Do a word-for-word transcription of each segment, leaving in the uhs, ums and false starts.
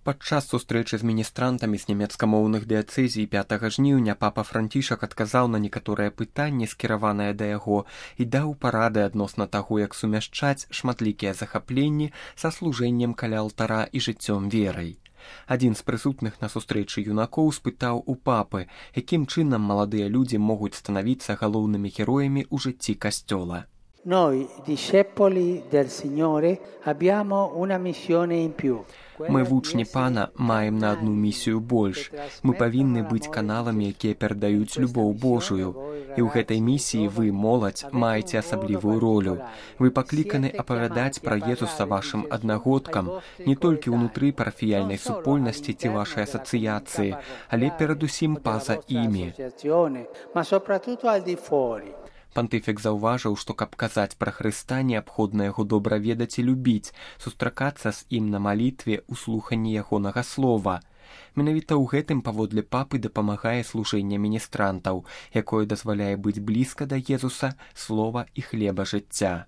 Падчас сустрэчы з міністрантамі з нямецкамоўных дыяцэзій пятага жніўня папа Францішак адказаў на некаторыя пытанні, скіраваныя да яго, і даў парады адносна таго, як сумяшчаць шматлікія захапленні са служэннем каля алтара і жыццём верай. Адзін з прысутных на сустрэчы юнакоў спытаў у папы, якім чынам маладыя людзі могуць станавіцца галоўнымі героямі ў жыцці касцёла. Noi, discepoli del Signore, abbiamo una missione in più. Мы, вучні пана, маем на одну місію больш. Мы павінны быць каналамі, якія перадаюць любоў Божую. І ў гэтай місіі вы, моладзь, маеце асаблівую ролю. Вы пакліканы апавядаць пра Езуса вашым аднагодкам, не толькі ўнутры парафіяльнай супольнасці ці вашай асацыяцыі, але перадусім па-за імі. Пантыфік заўважыў, што каб казаць пра Хрыста, неабходна яго добра ведаць і любіць, сустракацца з ім на малітве ў слуханні ягонага слова. Менавіта ў гэтым паводле папы дапамагае служэнне міністрантаў, якое дазваляе быць блізка да Езуса, слова і хлеба жыцця.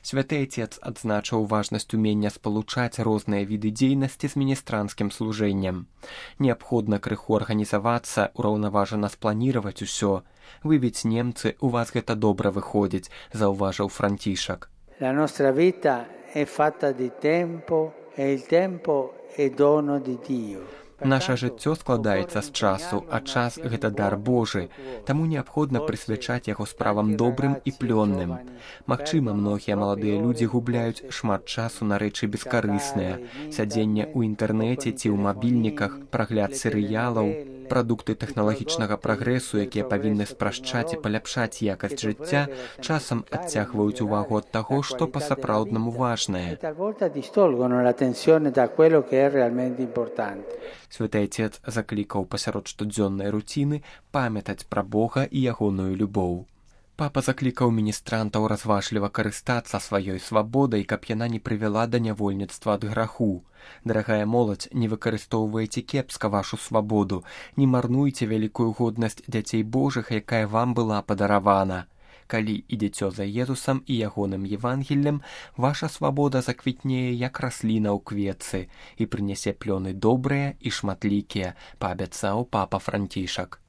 Святы Отец адзначыў важнасць умення спалучаць розныя віды дзейнасці з міністранцкім служэннем. Неабходна крыху арганізавацца, ураўнаважана спланіраваць усё. Вы ведь немцы, у вас гэта добра выходзіць, заўважыў Францішак. La nostra vita è fatta di tempo e il tempo è dono di Dio. Наша жыццё складаецца з часу, а час – гэта дар Божы, таму неабходна прысвячаць яго справам добрым і плённым. Магчыма, многія маладыя людзі губляюць шмат часу на рэчы бескарысныя, сядзенне ў інтэрнэце ці ў мабільніках, прагляд серыялаў, прадукты тэхналагічнага прагрэсу, якія павінны спрашчаць і паляпшаць якасць жыцця, часам адцягваюць увагу ад таго, што па-сапраўднаму важнае. Святы Отец заклікаў пасярод штодзённай руціны памятаць пра Бога і ягоную любоў. Папа заклікаў міністрантаў разважліва карыстацца сваёй свабодай, каб яна не прывяла да нявольніцтва ад граху. Дарагая моладзь, не выкарыстоўвайце кепска вашу свабоду, не марнуйце вялікую годнасць дзяцей Божых, якая вам была падаравана. Калі ідзеце за Езусам і ягоным Евангеллем, ваша свабода заквітнее, як расліна ў кветцы, і прынясе плёны добрыя і шматлікія, паабяцаў папа Францішак.